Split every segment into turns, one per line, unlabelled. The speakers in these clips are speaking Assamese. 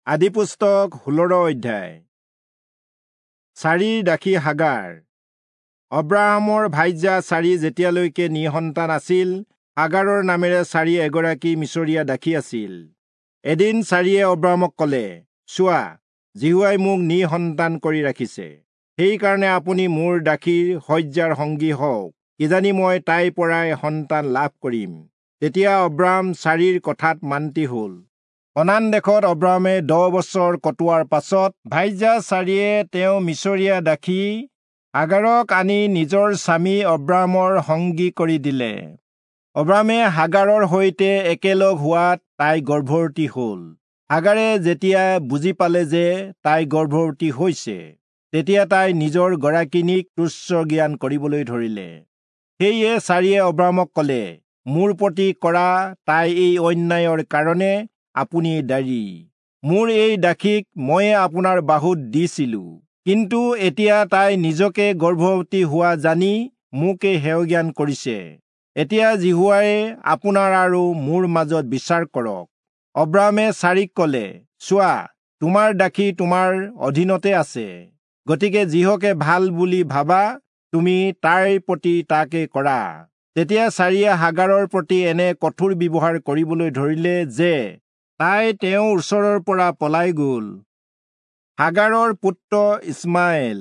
আদিপুস্তক 16 অধ্যায়। চাৰিৰ দাসী হাগাৰ। অব্ৰাহামৰ ভাইজা চাৰি যেতিয়ালৈকে নিসন্তান আছিল, হাগাৰৰ নামেৰে চাৰি এগৰাকী মিছৰীয়া দাসী আছিল। এদিন চাৰিয়ে অব্ৰাহামক ক'লে, চোৱা, যিহোৱাই মোক নিসন্তান কৰি ৰাখিছে, সেইকাৰণে আপুনি মোৰ দাসীৰ শয্যাৰ সংগী হওক, কিজানি মই তাইৰ পৰাই সন্তান লাভ কৰিম। তেতিয়া অব্ৰাহাম চাৰিৰ কথাত মান্তি হ'ল। কনান দেশত অব্ৰাহামে 10 বছৰ কটোৱাৰ পাছত ভাইজা চাৰিয়ে তেওঁ মিছৰীয়া দাসী হাগাৰক আনি নিজৰ স্বামী অব্ৰাহামৰ সংগী কৰি দিলে। অব্ৰাহামে হাগাৰৰ সৈতে একেলগ হোৱাত তাই গৰ্ভৱতী হ'ল। হাগাৰে যেতিয়া বুজি পালে যে তাই গৰ্ভৱতী হৈছে, তেতিয়া তাই নিজৰ গৰাকিনীক তুচ্ছ জ্ঞান কৰিবলৈ ধৰিলে। সেয়ে চাৰিয়ে অব্ৰাহামক ক'লে, মোৰ প্ৰতি কৰা তাই এই অন্যায়ৰ কাৰণে আপুনি দায়ী। মোৰ এই দাসীক ময়ে আপোনাৰ বাহুত দিছিলো, কিন্তু এতিয়া তাই নিজকে গৰ্ভৱতী হোৱা জানি মোকে হেয়জ্ঞান কৰিছে। এতিয়া যিহোৱাই আপোনাৰ আৰু মোৰ মাজত বিচাৰ কৰক। অব্ৰাহামে চাৰিক ক'লে, চোৱা, তোমাৰ দাসী তোমাৰ অধীনতে আছে, গতিকে যিহকে ভাল বুলি ভাবা তুমি তাইৰ প্ৰতি তাকে কৰা। তেতিয়া চাৰিয়ে হাগাৰৰ প্ৰতি এনে কঠোৰ ব্যৱহাৰ কৰিবলৈ ধৰিলে যে তাই তেওঁৰ ওচৰৰ পৰা পলাই গ'ল। হাগাৰৰ পুত্ৰ ইছমাইল।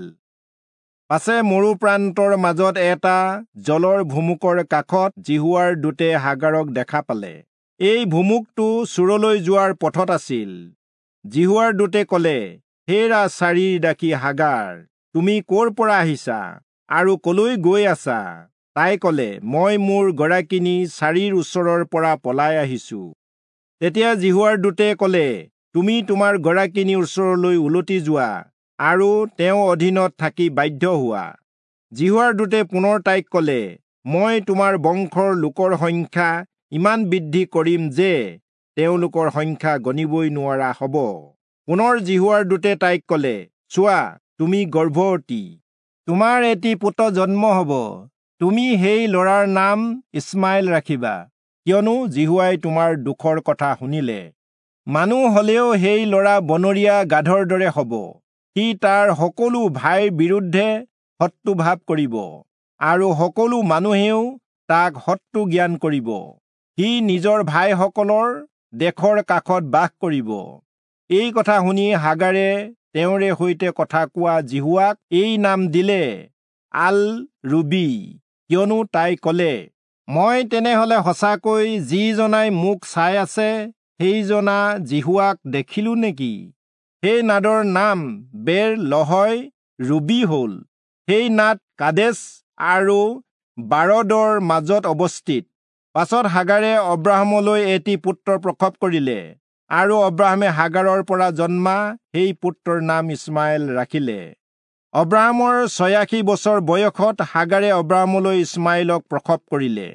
পাছে মৰু প্ৰান্তৰ মাজত এটা জলৰ ভুমুকৰ কাষত যিহোৱাৰ দূতে হাগাৰক দেখা পালে। এই ভুমুকটো চূৰলৈ যোৱাৰ পথত আছিল। যিহোৱাৰ দূতে ক'লে, হেৰা চাৰিৰ দাসী হাগাৰ, তুমি ক'ৰ পৰা আহিছা আৰু কলৈ গৈ আছা? তাই ক'লে, মই মোৰ গৰাকিনী চাৰিৰ ওচৰৰ পৰা পলাই আহিছো। তেতিয়া যিহোৱাৰ দূতে ক'লে, তুমি তোমাৰ গৰাকিনীৰ ওচৰলৈ উলটি যোৱা আৰু তেওঁ অধীনত থাকি বাধ্য হোৱা। যিহোৱাৰ দূতে পুনৰ তাইক ক'লে, মই তোমাৰ বংশৰ লোকৰ সংখ্যা ইমান বৃদ্ধি কৰিম যে তেওঁলোকৰ সংখ্যা গণিবই নোৱাৰা হ'ব। পুনৰ যিহোৱাৰ দূতে তাইক ক'লে, চোৱা, তুমি গৰ্ভৱতী, তোমাৰ এটি পুত্ৰ জন্ম হ'ব। তুমি সেই ল'ৰাৰ নাম ইছমাইল ৰাখিবা, কিয়নো যিহোৱাই তোমাৰ দুখৰ কথা শুনিলে। মানুহ হলেও সেই ল'ৰা বনৰীয়া গাধৰ দৰে হ'ব। সি তাৰ সকলো ভাইৰ বিৰুদ্ধে শত্ৰুভাৱ কৰিব, আৰু সকলো মানুহেও তাক শত্ৰু জ্ঞান কৰিব। সি নিজৰ ভাইসকলৰ দেশৰ কাষত বাস কৰিব। এই কথা শুনি হাগাৰে তেওঁৰে সৈতে কথা কোৱা যিহোৱাক এই নাম দিলে, আল ৰুবি, কিয়নো তাই ক'লে, মই তেনেহলে সঁচাকৈ যিজনাই মোক চাই আছে সেইজনা যিহোৱাক দেখিলো নেকি? সেই নাদৰ নাম বেৰ লহয় ৰুবি হ'ল। সেই নাদ কাদেশ আৰু বাৰদৰ মাজত অৱস্থিত। পাছত হাগাৰে অব্ৰাহামলৈ এটি পুত্ৰ প্ৰসৱ কৰিলে, আৰু অব্ৰাহামে হাগাৰৰ পৰা জন্মা সেই পুত্ৰৰ নাম ইছমাইল ৰাখিলে। অব্ৰাহামৰ 86 বছৰ বয়সত হাগাৰে অব্ৰাহামলৈ ইছমাইলক প্ৰসৱ কৰিলে।